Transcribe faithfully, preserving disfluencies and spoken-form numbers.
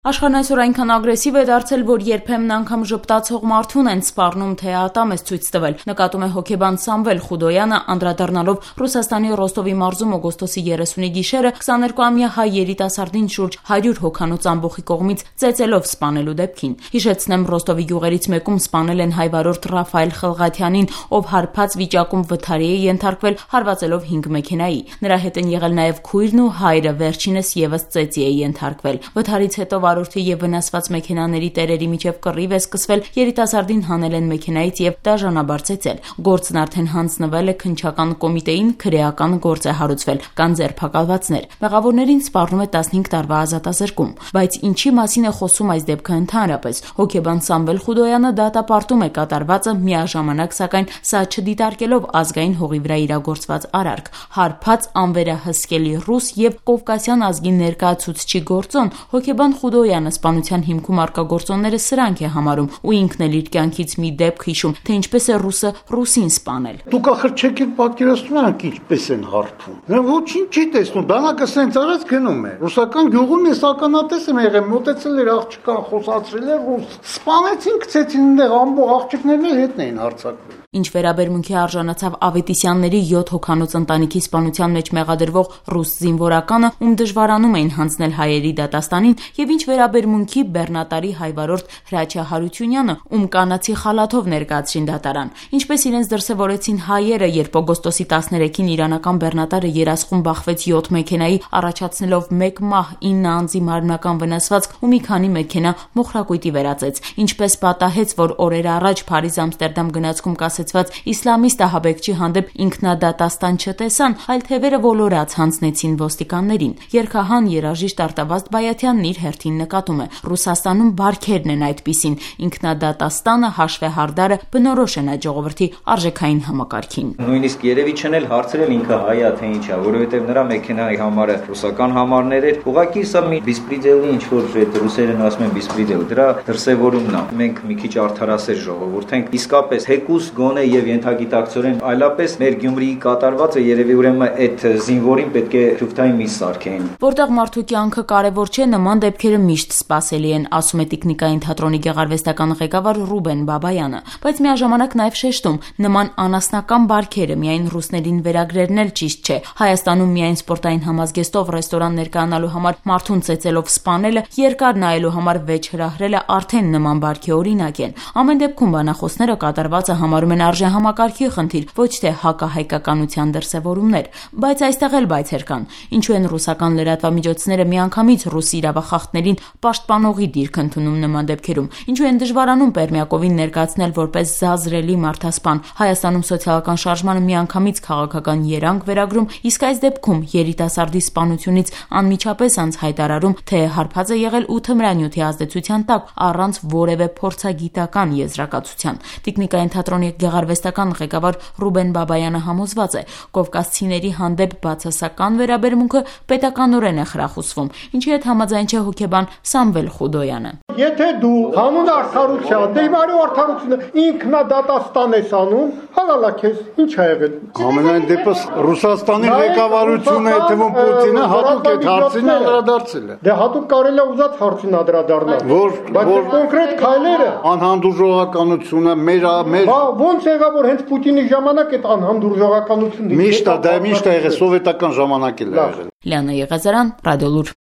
Աշխարհն այսօր այնքան ագրեսիվ է դարձել, որ երբեմն անգամ ժպտացող մարդուն են սպառնում, թե ատամ է ցույց տվել, նկատում է հոգեբան Սամվել Խուդոյանը, անդրադառնալով Ռուսաստանի Ռոստովի մարզում օգոստոսի երեսունի գիշերը քսաներկուամյա հայ երիտասարդին շուրջ հարյուր հոգանոց ամբոխի կողմից ծեծելով սպանելու դեպքին։ Հիշեցնեմ, Ռոստովի գյուղերից մեկում սպանել են հայ վարորդ Ռաֆայել Խլղաթյանին, ով հարբած վիճակում վթարի է ենթարկվել, հարվածելով հինգ մեքենայի։ Նրա հետ են եղել նաև քույրն ու հայրը, վերջինս եւս ծեծի է ենթարկվել։ Վթարից հետո վարորդի եւ վնասված մեքենաների տերերի միջև կռիվ է սկսվել, երիտասարդին հանել են մեքենայից եւ դաժանաբար ծեծել։ Գործն արդեն հանձնվել է քննչական կոմիտեին, քրեական գործ է հարուցվել, կան ձերբակալվածներ։ Մեղավորներին սպառնում է տասնհինգ տարվա ազատազրկում։ Բայց ինչի մասին է խոսում այս դեպքը ընդհանրապես։ Հոգեբան Սամվել Խուդոյանը դատապարտում է կատարվածը, միաժամանակ սակայն սա չդիտարկելով ազգային հողի վրա իրագործված արարք։ Հարբած անվերահսկելի ռուս եւ կովկասյան ազգի ներկայացուցչի գործոն հոգեբան Խուդոյանը սպանության հիմքում առկա գործոնները սրանք է համարում ու ինքն էլ իր կյանքից մի դեպք հիշում, թե ինչպես է ռուսը ռուսին սպանել։ Դուք ախր չեք էլ պատկերացնում եք ինչպես են հարբում։ Նա ոչինչ չի տեսնում, բանակը սենց արած գնում է։ Ռուսական գյուղում ես ականատես եմ եղել, մոտեցել էր աղջկան, խոսացրել էր ռուս։ Սպանեցին, գցեցին այնտեղ ամբողջ աղջիկներն էլ հետն էին հարձակվել։ Ինչ վերաբերմունքի արժանացավ Ավետիսյանների յոթ հոգանոց ընտանիքի սպանության մեջ մեղադրվող ռուս զինվորականը, ում դժվարանում էին հանձնել հայերի դատաստանին, եւ ինչ վերաբերմունքի բեռնատարի հայվարորդ Հրաչյա Հարությունյանը, ում կանացի խալաթով ներկայացրին դատարան, ինչպես իրենց դրսևորեցին հայերը, երբ օգոստոսի տասներեքին իրանական բեռնատարը երասխում բախվեց յոթ մեքենայի, առաջացնելով մեկ մահ, ինը անձի մարմնական վնասվածք ու մի քանի մեքենա մոխրակույտի վերածեց, ինչպես պատահեց, որ օրեր առաջ Փարիզ-Ամստերդամ գնացքում կասեցված իսլամիստ ահաբեկչի հանդեպ ինքնադատաստան չտեսան, այլ թևերը ոլորած հանձնեցին ոստիկաններին։ Երգահան երաժիշտ Արտավազդ Բայաթյանն իր հերթին նկատում է. Ռուսաստանում բարքերն են այդպիսին, ինքնադատաստանը, հաշվեհարդարը բնորոշ են այդ ժողովրդի արժեքային համակարգին։ Նույնիսկ երևի չեն էլ հարցրել ինքը հայա թե ինչ է, որովհետև նրա մեքենայի համարը ռուսական համարներ էր։ Ուղղակի սա մի բիսպրիդելի ինչ որ այդ ռուսերեն ասում են բիսպրիդել, դրա դրսևորումն է։ Մենք մի քիչ արդարասեր ժողովուրդ ենք, իսկապես հեկուս գոնե եւ ենթագիտակցորեն այլապես մեր Գյումրիի կատարվածը երևի ուրեմն այդ զինվորին պետք է շուտային մի սարքեն։ Որտեղ մարդու կյանքը կարևոր չէ, նման դեպքերը միշտ սպասելի են, ասում է Տիկնիկային թատրոնի գեղարվեստական ղեկավար Ռուբեն Բաբայանը, բայց միաժամանակ նաև շեշտում, նման անասնական բարքերը միայն ռուսներին վերագրերն էլ ճիշտ չէ։ Հայաստանում միայն սպորտային համազգեստով ռեստորան ներկայանալու համար մարդուն ծեծելով սպանելը, երկար նայելու համար վեճ հրահրելը արդեն նման բարքի օրինակ են։ Ամեն դեպքում բանախոսները կատարվածը համարում են արժեհամակարգի խնդիր, ոչ թե հակահայկականության դրսևորումներ, բայց այստեղ էլ բայցեր կան։ Ինչու են ռուսական լրատվամիջոցները միանգամից ռուս իրավախախտներին պաշտպանողի դիրք ընդունում նման դեպքերում, ինչու են դժվարանում Պերմյակովին ներկայացնել որպես զազրելի մարդասպան, Հայաստանում սոցիալական շարժմանը միանգամից քաղաքական երանգ վերագրում, իսկ այս դեպքում երիտասարդի սպանությունից անմիջապես անց հայտարարում, թե հարբած է եղել ու թմրանյութի ազդեցության տակ առանց որևէ փորձագիտական եզրակացության։ Տիկնիկային թատրոնի գեղարվեստական ղեկավար Ռուբեն Բաբայանը համոզված է, կովկասցիների հանդեպ բացասական վերաբերմունքը պետականորեն է խրախուսվում, ինչի հետ համաձայն չէ հոգեբան Սամվել Խուդոյանը։ Եթե դու հանուն արդարության, դեպի արդարությունը ինքնադատաստան ես անում, հալալա քեզ, ինչ ա եղել։ Ամենայն դեպս Ռուսաստանի ղեկավարությունը, եթե ո Պուտինը հատուկ այդ հարցին անդրադարձել է։ Դե հատուկ կարելի է ուզած հարցին անդրադառնալ։ Որ բայց կոնկրետ քայլերը անհանդուրժողականությունը մեր մեր ո՞նց եղավ որ հենց Պուտինի ժամանակ այդ անհանդուրժողականությունը միշտ դա միշտ ա եղել սովետական ժամանակ էլ ա եղել։ Լիանա Եղազարյան, Ռադիոլուր։